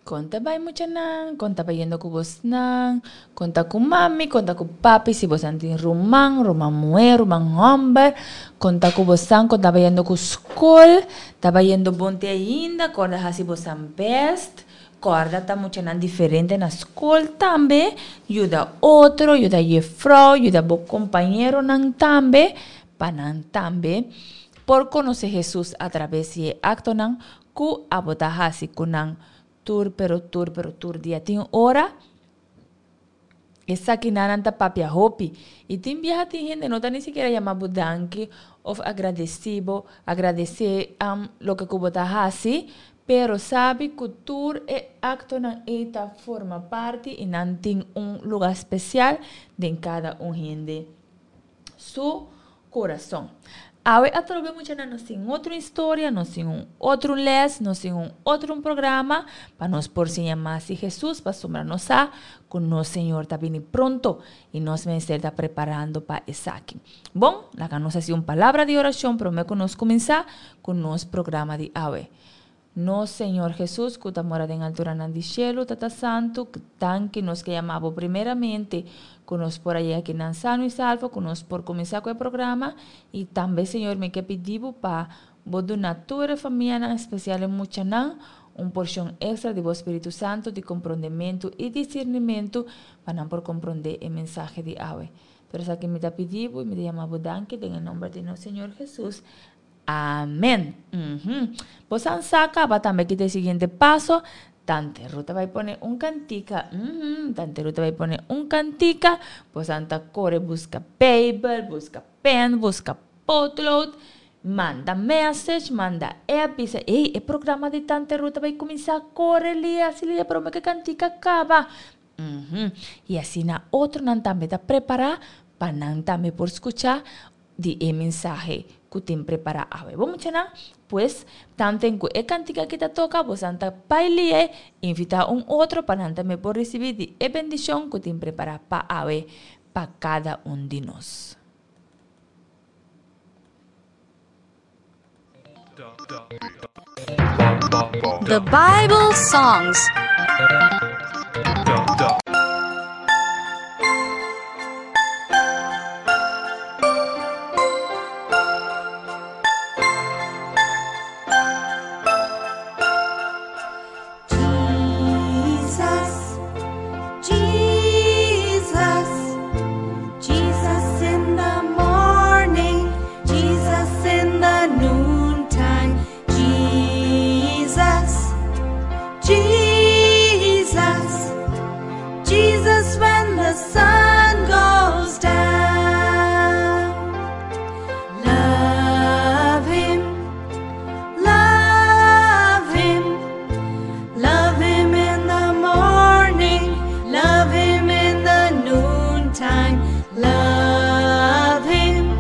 Kon ta bai muchanan? Kon ta bayendo ku bosnan? Kon ta ku mami? Kon ta ku papi? Si bosan tin ruman, ruman muhé, ruman hòmber, kon ta ku bosan? Kon ta bayendo ku skol? Ta bayendo bon te ainda? Kòrda hasi bosan bèst. Kòrda ta muchanan diferente na skol tambe. Yuda otro, yuda yefrou, yuda bo kompañeronan tambe, pa nan tambe por konosé Hesus atraves di e aktonan ku abo ta hasi ku nan tur pero tur pero tur dia. Tin ora esakinan ta papia hopi i tin biaha tin hende no ta ni sikiera yama bo danki of agradesí bo, agradesé loke ku bo ta hasi, pero sabi ku tur e aktonan ei ta forma parti i nan tin un luga spesial den kada un hende su kurason. Awe atrobe muchanan nos tin otro historia, nos tin un otro les, nos tin un otro programa pa nos por siña mas di Hesus, pasobra nos sa ku nos Señor ta bini pronto i nos mester ta preparando pa esaki. Bon, laga nos hasi un palabra di orashon prome ku nos kuminsá ku nos programa di awe. Nos Señor Jesus, ku ta mora den alturanan di shelu, Tata Santu, danki nos ke yama Bo primeramente, ku nos por a yega akinan sano i salvo, ku nos por kuminsá ku e programa, i tambe, Señor, mi ke pidi Bo pa Bo duna tur e famianan, espesial e muchanan, un porshon ekstra di Bo Spiritu Santu di komprondementu i disirnimentu pa nan por komprondé e mensahe di awe. Tur esaki mi ta pidi Bo i mi ta yama Bo danki den e nomber di nos Señor Jesus. Amen. Uhum. Bosan sa caba tambe kita e siguiente paso. Tante Ruth ta bay pone un cantica. Uhum. Tante Ruth ta bay pone un cantica. Bosan ta core busca Bijbel, busca pen, busca potlood. Manda message, manda app, bisa, ey, e programa di Tante Ruth ta bay cuminsa core lia, así lia, prome que cantica caba. Uhum. Y asina otronan tambe ta prepara pa nan tambe por scucha di e mensahe ku tin prepará awe. Bo muchanan, pues, tanten ku e kantika aki ta toka, bosan ta baili'é, invitá un otro pa nan tambe por risibí di e bendishon ku tin prepará pa awe pa kada un di nos. The Bible Songs. Jesus, Jesus, Jesus in the morning, Jesus in the noontime, Jesus, Jesus, Jesus when the sun goes down. Love him, love him, love him in the morning, love him in the noontime, love him,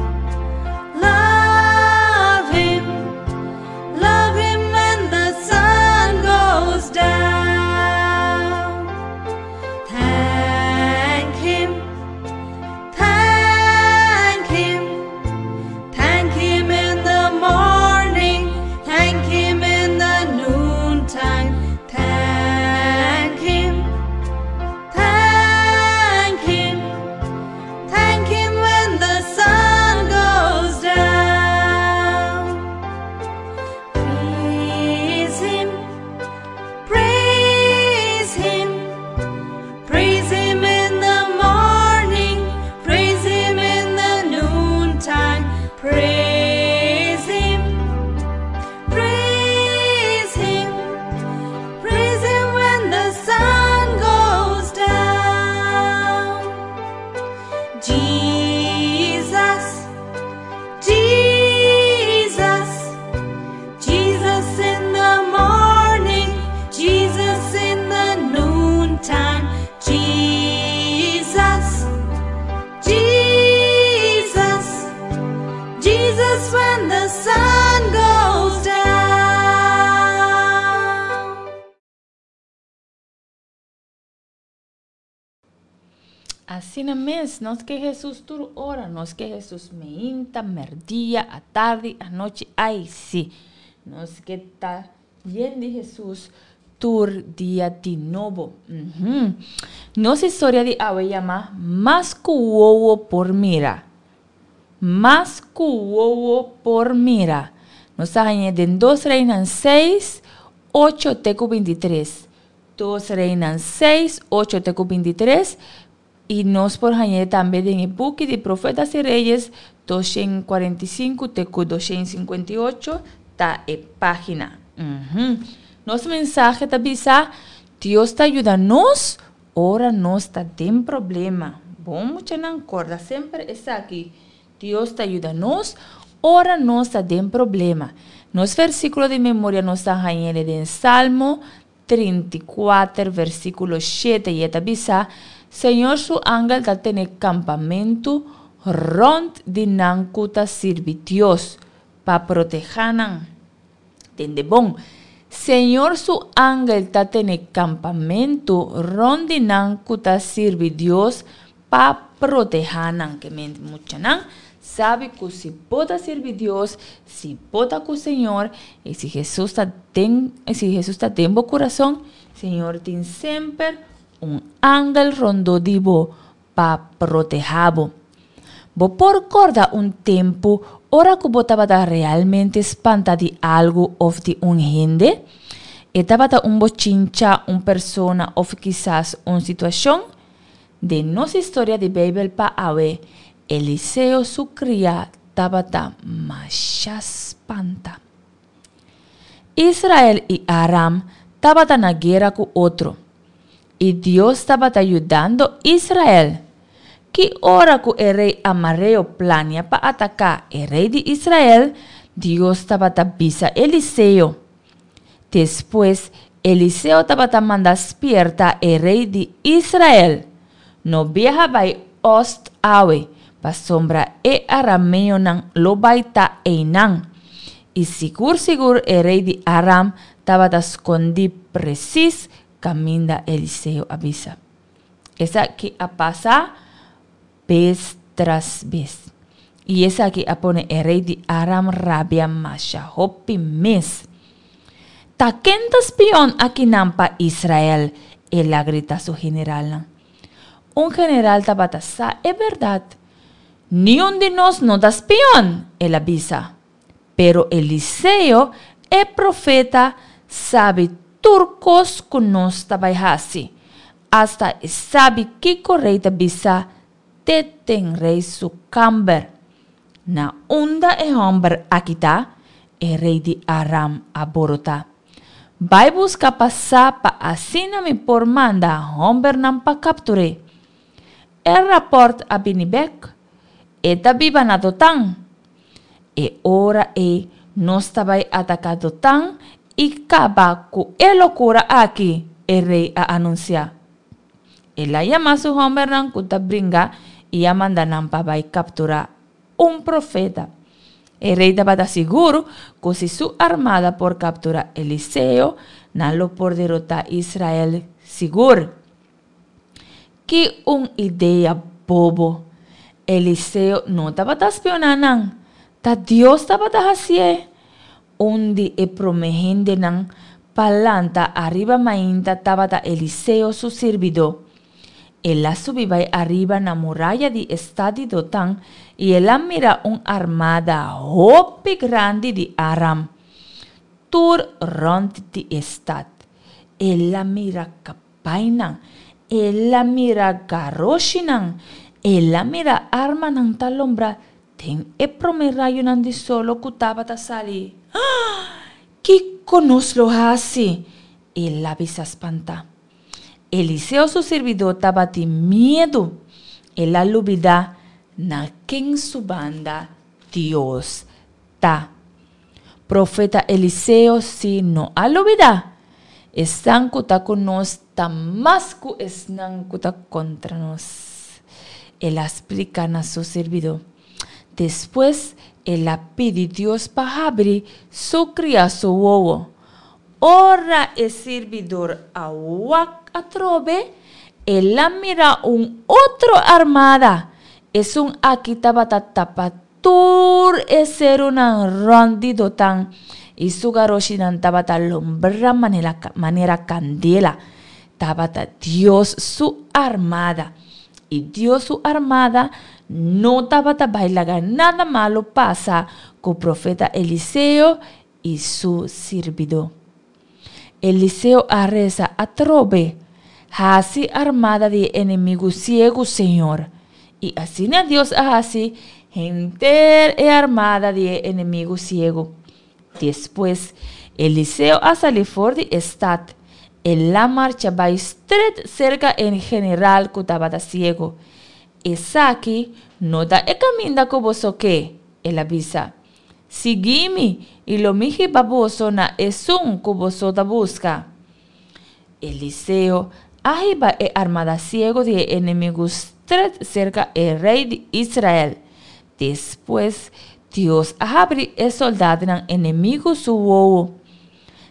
love him, love him when the sun goes down. Thank him, thank him, thank him in the morning, thank him in the noontime, thank him, thank him, thank him when the sun goes down. Praise him, praise him, praise him in the morning, praise him in the noontime, praise him, praise him, praise him when the sun goes down. Jesus, Jesus, Jesus in the morning, Jesus in the noontime, Jesus, Jesus, Jesus when the sun goes down. Asina mes, nos ke Hesus tur ora, nos ke Hesus meinta, merdia, atardi, anochi, ai si. Nos ke ta yen di Hesus Tur dia di nobo. Nos historia di awe yama Mas ku wowo por mira. Mas ku wowo por mira. Nos ta hañ'é den Dos Reinan seis, ocho te ku bintitres. Dos Reinan seis, ocho te ku bintitres. I nos por hañ'é tambe den e buki di Profetas i Reyes, 245 te ku 258 ta e página. Nos mensahe ta bisa, Dios ta yuda nos ora nos ta den problema. Bon muchanan, kòrda semper esaki, Dios ta yuda nos ora nos ta den problema. Nos versíkulo di memoria nos ta hañ'é den Salmo 34 versíkulo 7 i e ta bisa, Señor su angel ta tene kampamentu rònt di nan ku ta sirbi Dios, pa protehá nan. Tende bon, Señor su angel ta tene kampamentu rònt di nan ku ta sirbi Dios pa protehá nan. Ke men muchanan sabi ku si bo ta sirbi Dios, si bo ta ku Señor, i si Hesus ta den, si Hesus ta den bo kurason, Señor tin semper un angel rondó di bo pa protehá bo. Bo por kòrda un tempu ora ku bo tabata realmente spanta di algu òf di un hende? E tabata un bochincha, un persona òf kisas un situashon? Den nos historia di Beibel pa awe, Eliseo su kriá tabata masha spanta. Israel i Aram tabata na guera ku otro, i Dios tabata yudando Israel. Ki ora ku e rei amareo plania pa ataká e rei di Israel, Dios tabata bisa Eliseo. Despues, Eliseo tabata manda spierta e rei di Israel, No biaha bai ost awe, pasobra e arameonan lo bai ta einan. I sigur sigur e rei di Aram tabata skondí presis kaminda Eliseo a bisa. Esaki a pasa bes tras bes. I esaki a pone e rei di Aram rabia masha hopi mes. Ta ken ta spion akinan pa Israel? El a grita su generalnan. Un general tabata sa e bèrdat. Niun di nos no ta spion, el a bisa. Pero Eliseo, e profeta, sabi tur kos ku nos ta bai hasi. Asta e sabi kiko rei ta bisa te den rei su kamber. Na unda e hòmber aki ta? E rei di Aram a borotá. Bai buska pa sa pa asina mi por manda hòmbernan pa kaptur'é. E rapòrt a bini bèk. E ta biba na Dotan. E ora ei nos ta bai ataká Dotan i kaba ku e lokura aki, e rei a anunsiá. El a yama su hòmbernan ku ta bringa i a manda nan pa bai kapturá un profeta. E rei tabata sigur ku si su armada por kapturá Eliseo, nan lo por derotá Israel sigur. Ki un idea bobo! Eliseo no tabata spioná nan, ta Dios tabata hasié! Un di e promé hendenan pa lanta ariba mainta tabata Eliseo su sirbidó. El a subi bai ariba na muraya di e stat di Dotan i el a mira un armada hopi grandi di Aram tur rònt di e stat. El a mira kapainan, el a mira garoshinan, el a mira armanan ta lombra Den e promé rayonan di solo ku tabata sali, Ah! Kiko nos lo hasi? El a bisa spantá. Eliseo su sirbidó tabatin miedu. El a lubidá na ken su banda Dios ta. Profeta Eliseo sí no a lubidá. Esnan ku ta ku nos ta mas ku esnan ku ta kontra nos, el a splika na su sirbidó. Despues el a pidi Dios pa habri su kriá su wowo. Ora e sirbidor a wak atrobe, el a mira un otro armada. Esun aki tabata tapa Tur e serunan rònt di Dotan I su garoshinan tabata lombra manera kandela. Tabata Dios su armada. I Dios su armada no tabata bai laga nada malu pasa ku profeta Eliseo i su sirbidó. Eliseo a resa atrobe, Hasi armada di e enemigu siegu, Señor. I asina Dios a hasi henter e armada di e enemigu siegu. Despues, Eliseo a sali for di e stat. El a marcha bai stret serka e general ku tabata siegu. Esaki no ta e kaminda ku boso ke, el a bisa. Sigui mi, i lo mi hiba boso na esun ku boso ta buska. Eliseo a hiba e armada siegu di e enemigu stret serka e rei di Israel. Despues, Dios a habri e soldatnan enemigu su wowo.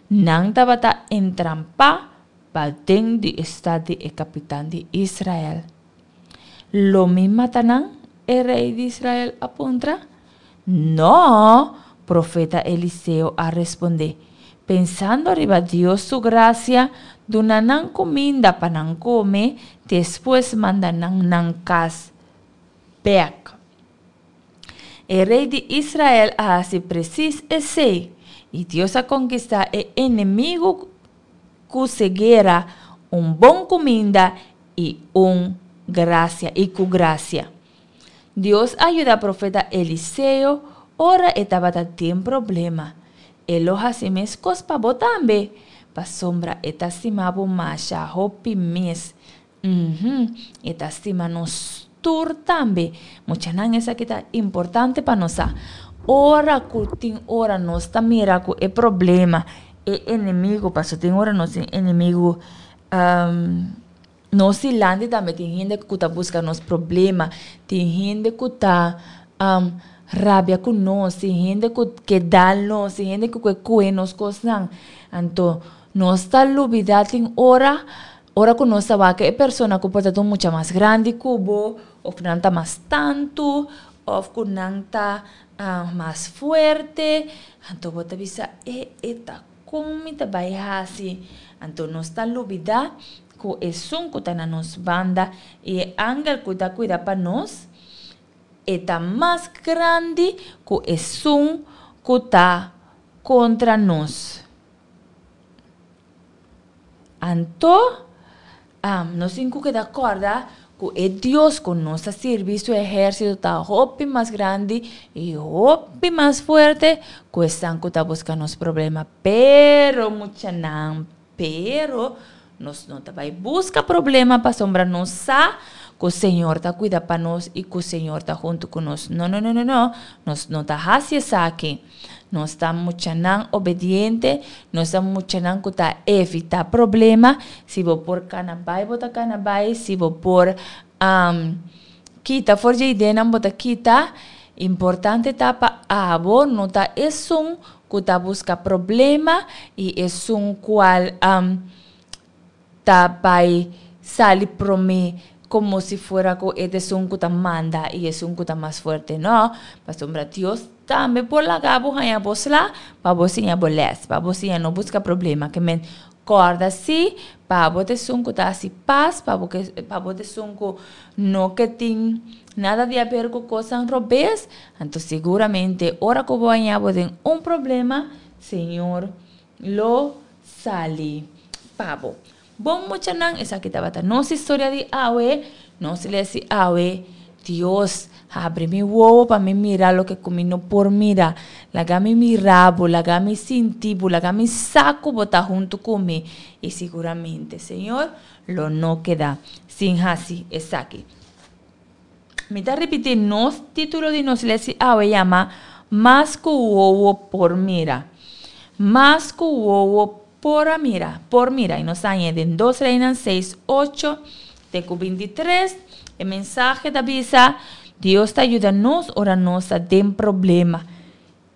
Nan tabata entrampá paden di e stat di e kapitan di Israel. Lo mi mata nan? e rei di Israel a puntra. Nò, profeta Eliseo a respondé, pensando riba Dios su grasia, duna nan kuminda pa nan kome, despues manda nan nan kas bèk. E rei di Israel a hasi presis esei, i Dios a konkistá e enemigu ku ceguera, un bon kuminda i un grasia i ku grasia. Dios a yuda profeta Eliseo ora e tabata den problema. E lo hasi meskos pa bo tambe, pasobra e ta stima bo masha hopi mes. Uhum, e ta stima nos tur tambe. Muchanan, esaki ta importante pa nos sa. Ora ku tin ora nos ta mira ku e problema, e enemigu, pasobra tin ora nos tin enemigu Nos dilanti tambe tin hende ku ta buska nos problema, tin hende ku ta rabia ku nos, tin hende ku ke dal nos, tin hende ku ke kohe nos kosnan. Anto nos ta lubida tin ora, ora ku nos ta wak e persona ku por ta un mucha mas grandi ku bo, òf nan ta mas tantu, òf ku nan ta mas fuerte, anto bo ta bisa e e ta Kon mi ta bai hasi? Anto nos ta lubidá ku esun ku ta na nos banda i e angel ku ta kuida pa nos, e ta mas grandi ku esun ku ta kontra nos. Anto, nos tin ku keda kòrda ku e Dios ku nos ta sirbi, su ehérsito ta hopi mas grandi i hopi mas fuerte ku esnan ku ta buska nos problema. Pero, muchanan, pero nos no ta bai buska problema pasobra nos sa ku Señor ta kuida pa nos i ku Señor ta huntu ku nos. No, no, no, no, no, nos no ta hasi esaki. Nos ta muchanan obediente, nos ta muchanan ku ta evitá problema. Si bo por kana bai, bo ta kana bai. Si bo por kita for dje ideanan, bo ta kita. Importante ta pa abo no ta esun ku ta buska problema i esun kual ta bai sali promé komo si fuera ku e ta esun ku ta manda i esun ku ta mas fuerte. No, pasobra Dios tambe por laga bo haña bo sla pa bo siña bo lès, pa bo siña no buska problema. Ke men kòrda si pa bo ta esun ku ta hasi pas, pa bo ke pa bo ta esun ku no ke tin nada di haber ku kosnan robes, anto siguramente ora ku bo haña bo den un problema, Señor lo sali pa bo. Bon muchanan, esaki tabata nos historia di awe. Nos les di awe, Dios, habri mi wowo pa mi mira loke ku mi no por mira. Laga mi mira bo, laga mi sinti bo, laga mi sa ku bo ta huntu ku mi. I siguramente Señor lo no keda sin hasi esaki. Mi ta ripití nos título di nos les di awe yama Mas ku wowo por mira. Mas ku wowo por a mira, por mira. I nos ta hañ'é den Dos Reinan seis, ocho te ku bintitres. E mensahe ta bisa, Dios ta yuda nos ora nos ta den problema.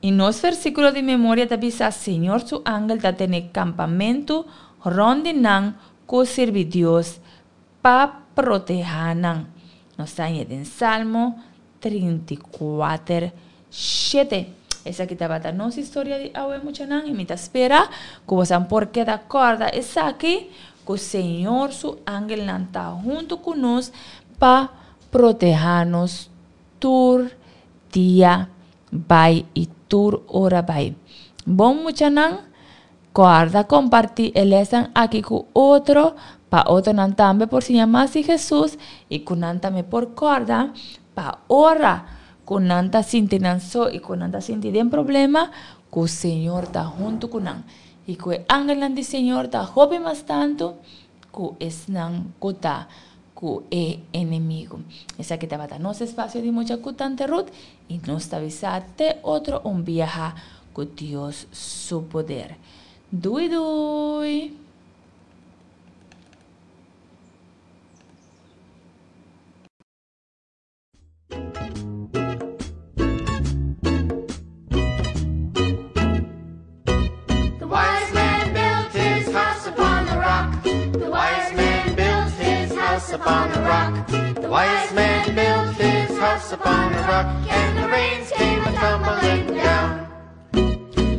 I nos versíkulo di memoria ta bisa, Señor su angel ta tene kampamentu rònt di nan ku sirbi Dios pa protehá nan. Nos ta hañ'é den Salmo 34, shete. Esaki tabata nos historia di awe muchanan y mi ta spera cu bosan por keda corda esaki cu Señor su angelnan ta hunto cu nos pa proteha nos tur dia bai y tur ora bai. Bon muchanan, corda comparti e lesnan aki cu otro pa otronan tambe por siña mas di Jesus y cu nan tambe por corda pa ora cu nan ta sinti nan so y cu nan ta sinti den problema, cu Señor ta hunto cu nan. Y cu e angelnan di Señor ta hopi mas tanto cu esnan cu ta cu e enemigo. Esaki tabata nos espacio di mucha cu Tante Ruth y nos ta bisa te otro un biaha cu Dios su poder. Doei doei! The wise man built his house upon the rock. The wise man built his house upon the rock. The wise man built his house upon the rock, and the rains came a tumbling down.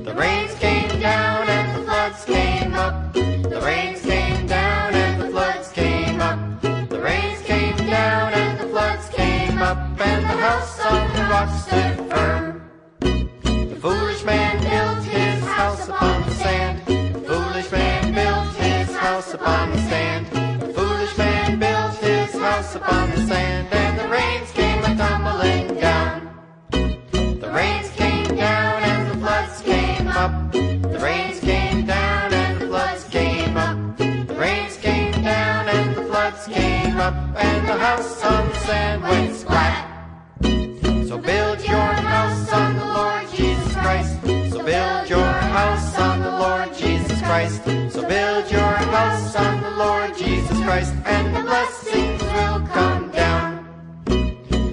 The rains came down and the floods came up. The rains came down and the floods came up. The rains came down and the floods came up, and the house on the rock stood firm. The foolish man built his house upon the sand. The foolish man built his house upon the sand. The foolish man built his house upon the sand, and the rains came a tumbling down. The rains came down and the floods came up. The rains came down and the floods came up. The rains came down and the floods came up, and the house on the sand went splat. So build your house on the Lord Jesus Christ. So build your house on the Lord Jesus Christ. So build your house on the Lord Jesus Christ, and the blessings will come down.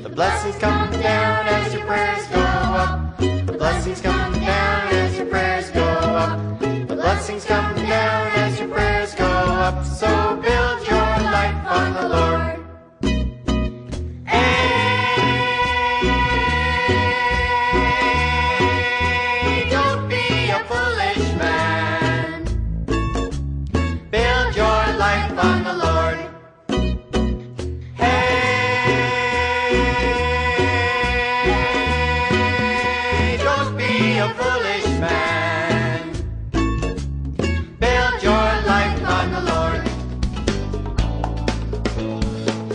The blessings come down as your prayers go up. The blessings come down as your prayers go up. The blessings come down as your prayers go up. So build your life on the Lord. Hey, don't be a foolish man. Build your life on the Lord. Hey, don't be a foolish man.